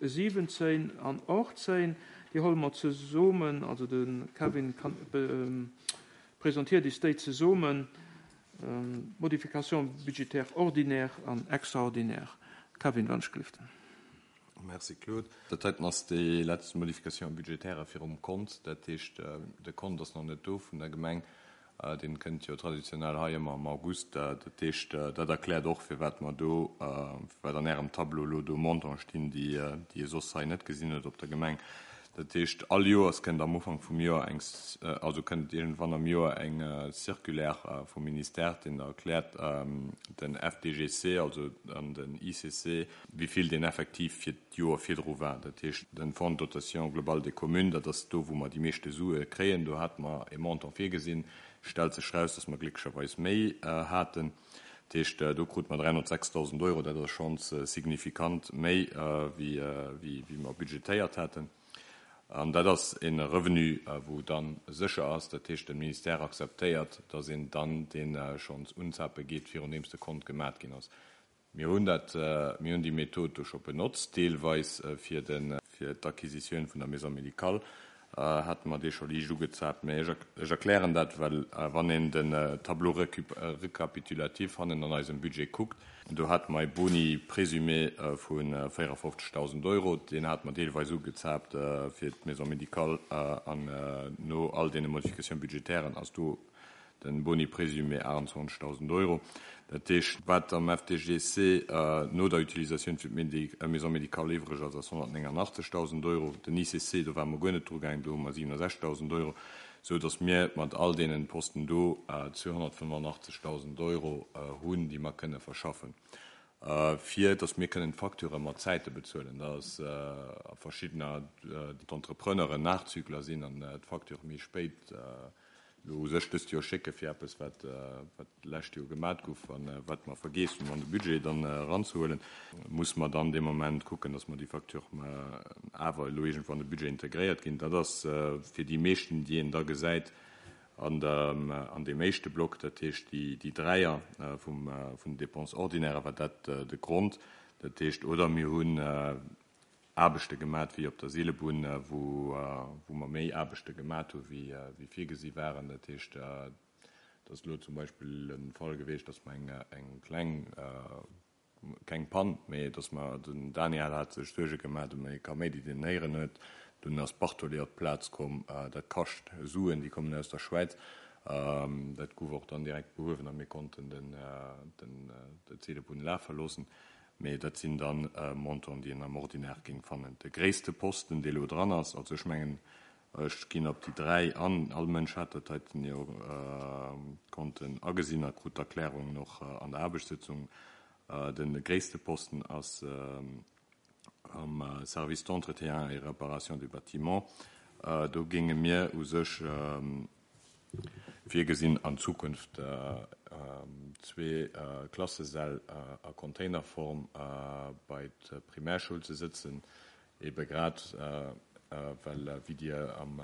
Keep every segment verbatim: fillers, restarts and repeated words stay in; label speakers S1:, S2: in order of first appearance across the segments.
S1: Siwwenzéin an achtzéin, déi huele mer zesummen, also de Kevin kann, presentéiert eis déi zesummen, Modification budgétaire ordinaire an extraordinaire. Kevin, wann ech gelift.
S2: Merci, Claude. Dat heiten ass déi lescht Modification budgétaire virum Kont. Dat heescht, de Kont ass nach net do vun der Gemeng. Dee kënnt jo traditionell hei ëmmer am August. Dat heescht, dat erkläert och, firwat mer do, firwat an ärem Tableau elo do Montanten stinn, déi déi ee soss hei net gesinn huet op der Gemeng. Dat heescht, all Joers kënnt am Ufank vum Joer eng, also kënnt iergendwann am Joer eng Circulaire vum Ministère, deen erkläert den F D G C, also an den I C C, wéi vill deen effektiv fir d'Joer virdru war. Dat heescht, den Fonds de dotation globale des communes, dat ass do, wou mer déi meeschte Sue kréien, do hate mer e Montant virgesinn, stellt sech raus, dass mer glécklecherweis méi haten. Dat heescht, do krute mer dräihonnertsechstausend Euro, dat ass schonns signifikant méi, wéi wéi mer budgetéiert haten. An dat ass e Revenu, wou dann sécher ass, dat heescht, de Ministère akzeptéiert, dass een dann dee schonns unzape geet, virun deem de Kont gemat ginn ass. Mir hunn dat, mir hunn déi Method do scho benotzt, deelweis fir de fir d'Acquisitioun vun der Maison médicale hate mer dee scho liicht ugezaapt. Mä ech ech erklären dat, well wann een den Tableau récapitulatif hannen an eisem Budget kuckt, do hate mer e Boni présumé vu véierefofzegdausend Euro, deen hate mer deelweis ugezaapt fir d'Maison médicale, an no all deene Modifications budgétairen ass do den Boni présumé aachtundzwanzegdausend Euro. Dat heescht, wat am F D G C no der Utilisatioun fir d'Maison médicale iwwreg ass, ass honnertnéngandachtzegdausend Euro. Den I C C, do ware mer guer net dru gaangen, do hu mer siwenesechzegdausend Euro, sou datt mir mat all deenen Posten do zweehonnertfënnefandachtzegdausend Euro hunn, déi mer kënne verschaffen, fir datt mir kënnen d'Facturë mat Zäite bezuelen. Dat ass a verschiddener d'Entrepreneuren Nachzügler sinn an d'Facture méi spéit elo u sech dëst Joer schécke fir eppes, wat wat d'lescht Joer gemat gouf an wat mer vergiess hunn, an de Budget dann eranzehuelen, muss mer dann dee Moment kucken, datt mer déi Facture awer elo iergendwann an de Budget integréiert ginn. Dat ass fir déi meeschten, déi een da gesäit an der an deem éischte Block, dat heescht déi déi Dräier vum vun den Dépenses ordinaires, war dat de Grond. Dat heescht, oder mir hunn Aarbechte gemat wéi op der Seelebunn, wou wou mer méi Aarbechte gemat hu wéi wéi virgesi waren. Dat heescht, dat ass elo zum Beispill e Fall gewiescht, datt mer eng eng kleng, keng Pann, mee datt mer, den Daniel hat sech Suerge gemat ëm e Kaméidi, deen en héieren huet. Dunn ass Bartoli op d'Plaz komm, dat kascht Suen, déi kommen aus der Schwäiz. Dat gouf och dann direkt behuewen a mir konnten den den d'Seelebunn lafe loossen. Mee dat sinn dann Montanten, déi een am Ordinaire géing fannen. De gréisste Posten, dee lo dran ass, also ech mengen, ech ginn op déi dräi an, all Mënsch hat dat heiten jo konnten agesinn a krut d'Erklärungen och an der Aarbechtssëtzung. De gréisste Posten ass am Service d'entretien et réparation des bâtiments. Do géinge mir u sech virgesinn, an Zukunft zwee Klassesäll a Containerform bei d'Primärschoul ze sëtzen, ebe grad well, wéi Dir am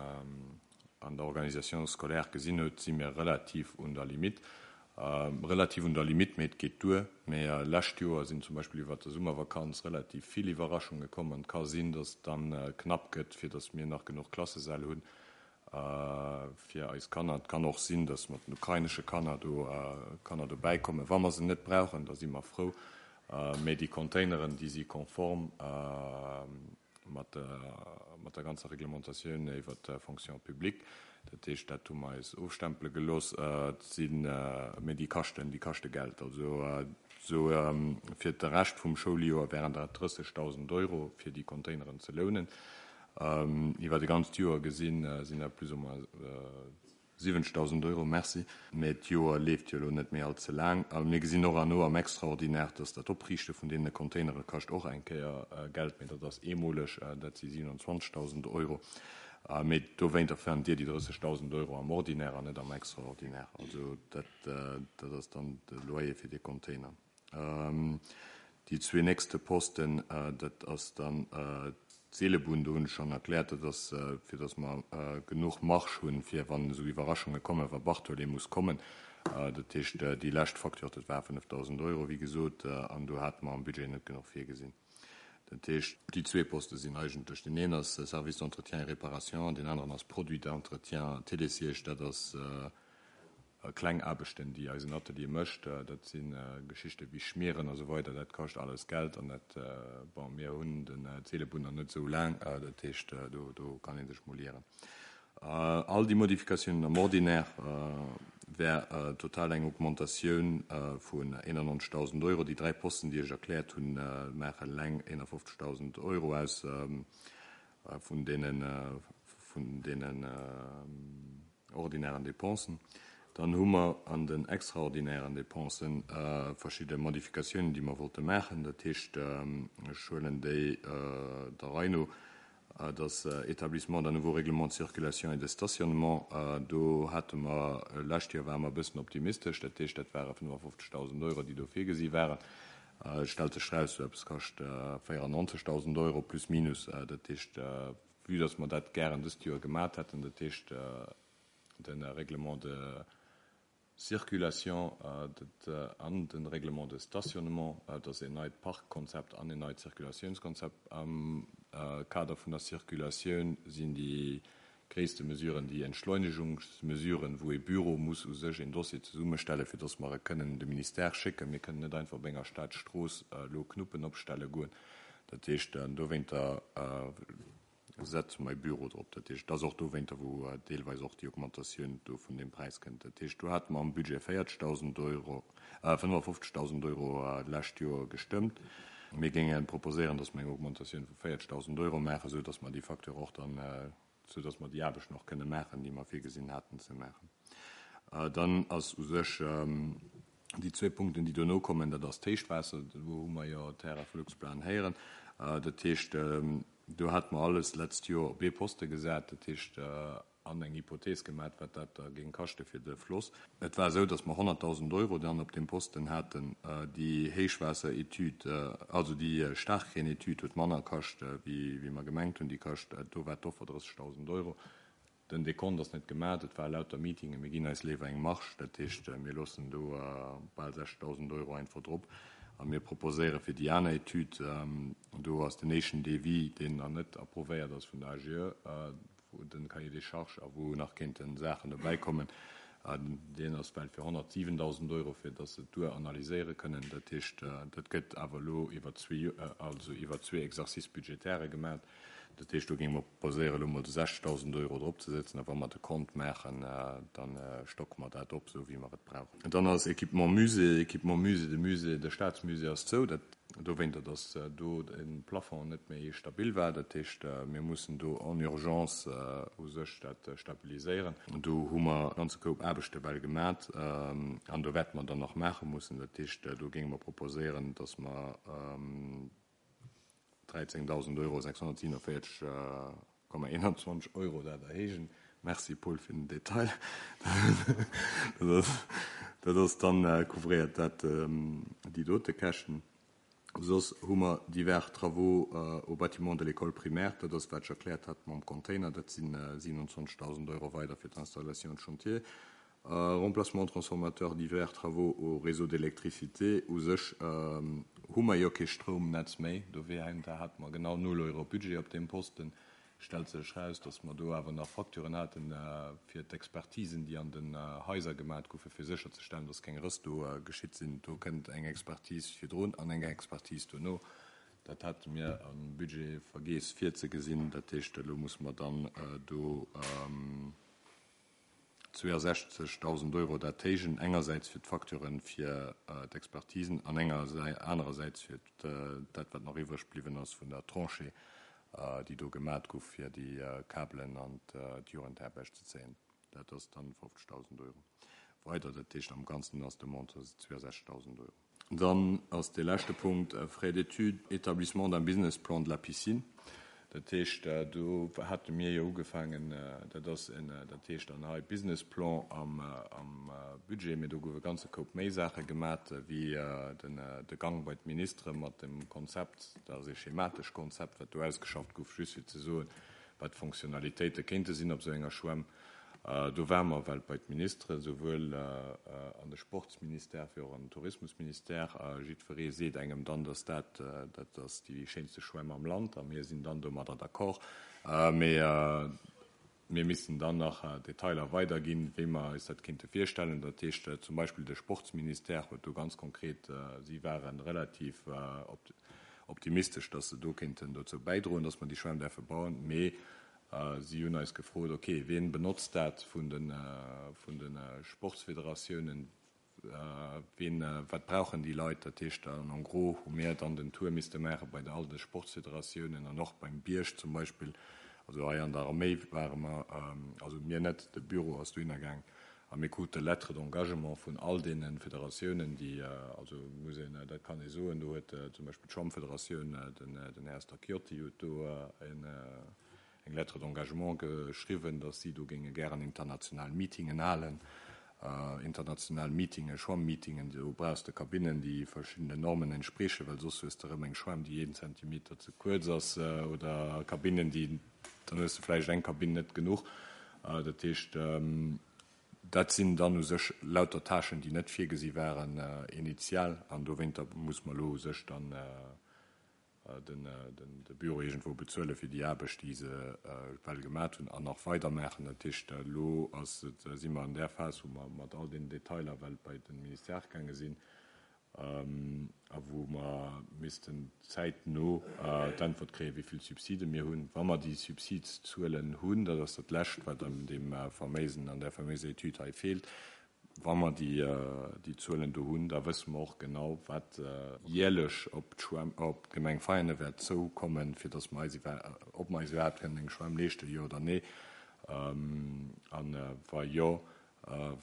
S2: an der Organisation scolaire gesinn hutt, si mir relativ un der Limite. Relativ un der Limite, mee et geet duer. Mee lescht Joer sinn zum Beispill iwwert der Summervakanz relativ vill Iwwerraschunge komm an et ka sinn, datt et dann knapp gëtt, fir datt mir nach genuch Klassesäll hunn fir eis Kanner. Et kann och sinn, datt mat den ukrainesche Kanner do Kanner dobäi kommen. Wa mer se net brauchen, da si mer frou. Mee déi Containeren, déi si konform mat mat der ganzer Reglementatioun iwwer d'Fonction publique. Dat heescht, dat hu mer eis ofstempele gelooss. Et sinn, mee déi kaschten, déi kaschte Geld. Also esou fir de Rescht vum Schouljoer wären dat drëssegdausend Euro fir déi Containeren ze lounen. Iwwer e ganzt Joer gesinn, sinn dat plus ou moins siwwenzegdausend Euro. Merci. Mee d'Joer leeft jo elo net méi all ze laang. A mir gesinn och herno am Extraordinaire, dass dat Opriichte vun deene Containere kascht och eng Kéier Geld, mee dat ass eemoleg, dat si siewenundzwanzegdausend Euro. Mee dowéinter fannt Dir déi drëssegdausend Euro am Ordinaire an net am Extraordinaire. Also dat, dat ass dann de Loyer fir dee Container. Déi zwee nächste Posten, dat ass dann d'Seelebunn, do hunn ech schonn erkläert, dat ass fir datt mer genuch Marge hunn, fir wann esou Iwwerraschunge kommen, wa Bartoli muss kommen. Dat heescht, déi lescht Facture, dat war fënnefdausend Euro, wéi gesot, an do hate mer am Budget net genuch virgesinn. Dat heescht, déi zwee Poste sinn eigentlech, deen een ass Service d'entretien et réparation, deen aneren ass Produit d'entretien Télésiège, dat ass kleng Aarbechten, déi eisen Atelier mécht. Dat si Geschichte wéi Schmieren a sou weider, dat kascht alles Geld an dat, bon, mir hunn den Seelebunn nach net esou laang, dat heescht, do, do kann ee sech mol ieren. All déi Modifikatiounen am Ordinaire wär total eng Augmentatioun vun eenannonzegtausend Euro. Déi dräi Posten, déi ech erkläert hunn, maachen eleng eenafofzegtausend Euro aus vun deenen, vun deenen ordinären Dépensen. Dann hu mer an den extraordinären Dépensen verschidde Modifikatiounen, déi mer wollte maachen. Dat heescht, ech huelen déi der Rei no. Das Établissement d'un nouveau règlement de circulation et de stationnement, do hate mer, lescht Joer ware mer e bëssen optimistesch, dat heescht, dat ware fënnefafofzegtausend Euro, déi do virgesi waren. Et stellt sech eraus, esou eppes kascht véierannonzegtausend Euro plus minus. Dat heescht, vue dass mer dat gären dëst Joer gemat hätten, dat heescht de Règlement de circulation an de Règlement de stationnement, dat ass een neit Parkkonzept an een neit Circulatiounskonzept. Am Kader vun der Circulatioun sinn déi gréisste Mesuren déi Entschleunigungsmesuren, wou ee Büro muss u sech een Dossier zesummestellen, fir dass mer e kënnen de Ministère schécken. Mir kënnen net einfach op enger Stadstrooss elo Knuppen opstelle goen. Dat heescht, dowéinter setze mer e Büro drop. Dat heescht, et ass och dowéinter, wou deelweis och déi Augmentatioun do vun deem Präis kënnt. Dat heescht, do hate mer am Budget véierzegtausend Euro, fënnefafofzegtausend Euro d'lescht Joer gestëmmt. Mir géinge proposéieren, datt mer eng Augmentatioun vu véierzegtausend Euro maachen, esou datt mer déi Facture och dann, esou datt mer déi Aarbechten och kënne maachen, déi mer virgesinn haten ze maachen. Dann ass u sech déi zwee Punkten, déi dono kommen, dat ass d'Héichwaasser, do hu mer jo d'Häre vu Luxplan héieren. Dat heescht, do hate mer alles d'letzt Joer op ee Poste gesat, dat heescht an eng Hypothees gemat, wat dat da géing kaschte fir de Floss. Et war esou, datt mer honnertdausend Euro dann op deem Posten haten. Déi Héichwaasseretüd, also déi Staarkreenetüd huet manner kascht, wéi mer gemengt hunn. Déi kascht, do war d'Offer drëssegdausend Euro. Den Dekont ass net gemat, et war lauter Meetingen, mir ginn eis léiwer eng Marge, dat heescht, mir loossen do bal sechstausend Euro einfach drop a mir proposéiere fir déi aner Etüd, do ass den éischten Devis, deen nach net approuvéiert ass vun der A G E, wou den Cahier des charges a wou nach kéinten Saachen dobäikommen, deen ass well fir honnertsiwentausend Euro, fir datt se et dueranalyséiere kënnen. Dat heescht, dat gëtt awer elo iwwer zwee, also iwwer zwee Exercices budgétaires gemat. Dat heescht, do géinge mer proposéieren, elo mol de sechzegtausend Euro dropzesetzen, a wa mer de Kont maachen, da stocke mer dat op, esou wéi mer et brauchen. Dann ass Équipement Musée, Équipement Musée, de Musée, de Staatsmusée ass zou, dat dowéinter, datt do de Plafond net méi stabil war. Dat heescht, mir mussen do en urgence u sech dat stabiliséieren. Do hu mer e ganze Koup Aarbechte well gemat an do wäerte mer dann nach maache mussen. Dat heescht, do géinge mer proposéieren, datt mer dräizéngdausend Euro sechshonnertsiewenenvéierzeg Komma eenanzwanzeg Euro dat erhéijen. Merci Paul fir den Detail. Dat ass dann couvréiert dat déi dote Käschten. Soss hu mer divers travaux au bâtiment de l'école primaire, dat ass wat ech erkläert hat mam Container, dat sinn siewenundzwanzegtausend Euro weider fir d'Installation de chantier. Remplacement transformateur, divers travaux au réseau d'électricité. U sech hu mer jo kee Stroumnetz méi, dowéinter hate mer genau null Euro Budget op deem Posten. Stellt sech eraus, datt mer do awer nach Facturen haten fir d'Expertisen, déi an den Haiser gemat goufen, fir sécherzestellen, datt keng Rëss do geschitt sinn. Do kënnt eng Expertise virdrun an eng Expertise dono. Dat hate mir am Budget vergiess virzegesinn. Dat heescht, elo musse mer dann do zweeënsechzegtausend Euro dat héijen, engersäits fir d'Facturen fir d'Expertisen an anerersäits fir dat, wat nach iwwreg bliwwen ass vun der Tranchée, déi do gemat gouf, fir déi Kabelen an d'Jugendherberg ze zéien. Dat ass dann fofzegtausend Euro weider. Dat heescht, am Ganzen ass de Montant zweeënsechzegtausend Euro. Dann ass de leschte Punkt Frais d'études, établissement d'un business plan de la piscine. Dat heescht, do hate mir jo ugefaangen, dat ass en, dat heescht dann hei Business Plan am, am Budget, mee do goufe ganze Koup méi Saache gemat, wéi den, de Gang bei d'Ministere mat dem Konzept, dat ass e schematesch Konzept, wat do ausgeschafft gouf, just fir ze soen, wat d'Fonctionnalitéite kéinte sinn op esou enger Schwämm. Do ware mer well bei d'Ministeren, souwuel an de Sportsministère wéi och an den Tourismusministère. Jiddweree seet engem dann, dass dat, dat ass déi schéinste Schwämm am Land a mir sinn dann domadder d'accord. Mee mir missten dann nach Detailer weiderginn, wéi mer eis dat kéinte virstellen. Dat heescht zum Beispill de Sportsministère huet do ganz konkret, si ware relativ optimistesch, dass se do kéinten dozou bäidroen, dass mer déi Schwämm däerfe bauen. Mee si hunn eis gefrot, ok, wien benotzt dat vun de vun de Sportsfederatiounen, wien, wat brauchen déi Leit? Dat heescht, an en gros hu mir dann den Tour misste maache bei all de Sportsfederatiounen an och beim Bierg zum Beispill. Also hei an der Arméi ware mer, also mir net, de Büro ass dohinner gaang a mir krute Lettres d'engagement vun all deene Federatiounen, déi, also muss een, dat kann ee soen, do huet zum Beispill d'Schwammfederatioun, den den Här Stacchiotti huet do en, eng Lettre d'engagement geschriwwen, datt si do géinge gären international Meetingen halen. International Meetingen, Schwammmeetingen, do brauchs de Kabinnen, déi verschiddenen Normen entspriechen, well soss hues de erëm eng Schwämm, déi een Zentimeter ze kuerz ass, oder Kabinnen, déi, dann hues de vläicht eng Kabinn net genuch. Dat heescht, dat sinn dann u sech lauter Tâchen, déi net virgesi waren initial, an dowéinter muss mer elo u sech dann den de Büro iergendwou bezuele fir déi Aarbecht, déi se well gemat hunn an nach weider maachen. Dat heescht, elo ass et, si mer an där Phas, wou mer mat all deenen Detailer well bei de Ministère gaange sinn a wou mer missten zäitno d'Äntwert kréien, wéi vill Subside mir hunn. Wa mer déi Subsidszuelen hunn, dat ass dat Lescht, wat an deem faméisen, an där faméiser Etüd hei feelt, Wa mer déi Zuelen do hunn, da wësse mer och genau, wat jäerlech op d'Schwämm, op d'Gemeng Veianen wäert zoukommen, fir datt mer eis iwwer, ob mer eis iwwerhaapt kënnen eng Schwämm leeschten, jo oder nee, a wa jo,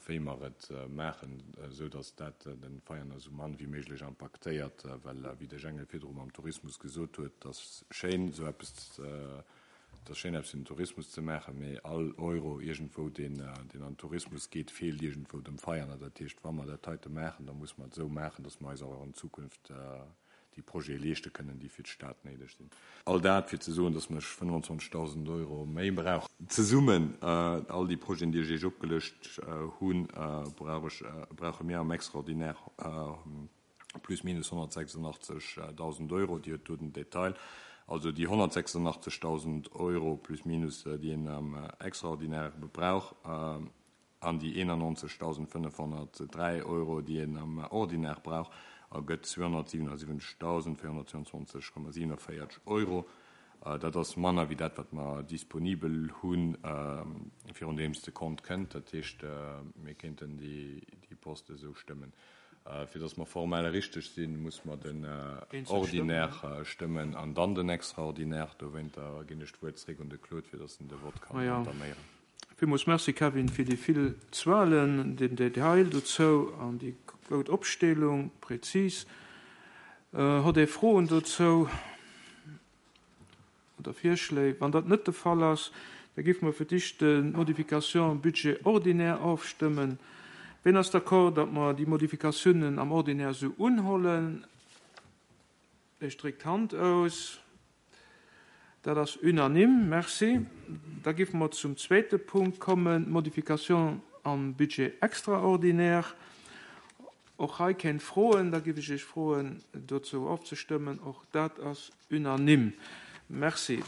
S2: wéi mer et maachen, esou datt dat de Veianer esou mann wéi méiglech impaktéiert. Well, wéi de Jengel virdru mam Tourismus gesot huet, et ass schéin, esou eppes Et ass schéin, eppes fir den Tourismus ze maachen, mee all Euro iergendwou, deen an den Tourismus geet, feelt iergendwou dem Veianer. Dat heescht, wa mer dat heite maachen, da muss mer et esou maachen, datt mer eis och an Zukunft déi Projete leeschte kënnen, déi fir d'Stad néideg sinn. All dat, fir ze soen, datt mer fënnwanzwanzegdausend Euro méi brauchen. Zesummen, all déi Projeten, déi ech Iech opgelëscht hunn, brauch ech, brauche mir am Extraordinaire plus minus honnertsechsundachtzegdausend Euro. Dir hutt do den Detail. Also déi honnertsechsundachtzegdausend Euro plus minus, déi een am Extraordinaire brauch, an déi eenannonzegdausendfënnefhonnertdräi Euro, déi een am Ordinaire brauch, ergëtt zweehonnertsiwenundsiwwenzegdausendvéierhonnertzwouundzwanzeg Komma siewenundvéierzeg Euro. Dat ass manner wéi dat, wat mer disponibel hunn, virun deems de Kont kënnt. Dat heescht, mir kéinten déi Poste esou stëmmen. Fir datt mer formell richteg sinn, muss mer den Ordinaire stëmmen an dann den Extraordinaire. Dowéinter ginn ech d'Wuert zréck un de Claude, fir datt en de Vott kann entaméieren.
S1: Villmools Merci, Kevin, fir déi vill Zuelen, den Detail dozou an déi goud Opstellung, präzis. Hutt Dir Froen dozou oder Virschléi? Wann dat net de Fall ass, da géife mer fir d'éischt d'Modification Budget ordinaire ofstëmmen. Wien ass d'accord, datt mer déi Modifikatiounen am Ordinaire esou unhollen? Ech dréck d'Hand aus. Dat ass unanime. Merci. Da géife mer zum zweete Punkt kommen, d'Modification am Budget extraordinaire. Och hei keng Froen. Da géif ech Iech froen, dozou ofzestëmmen. Och dat ass unanime. Merci.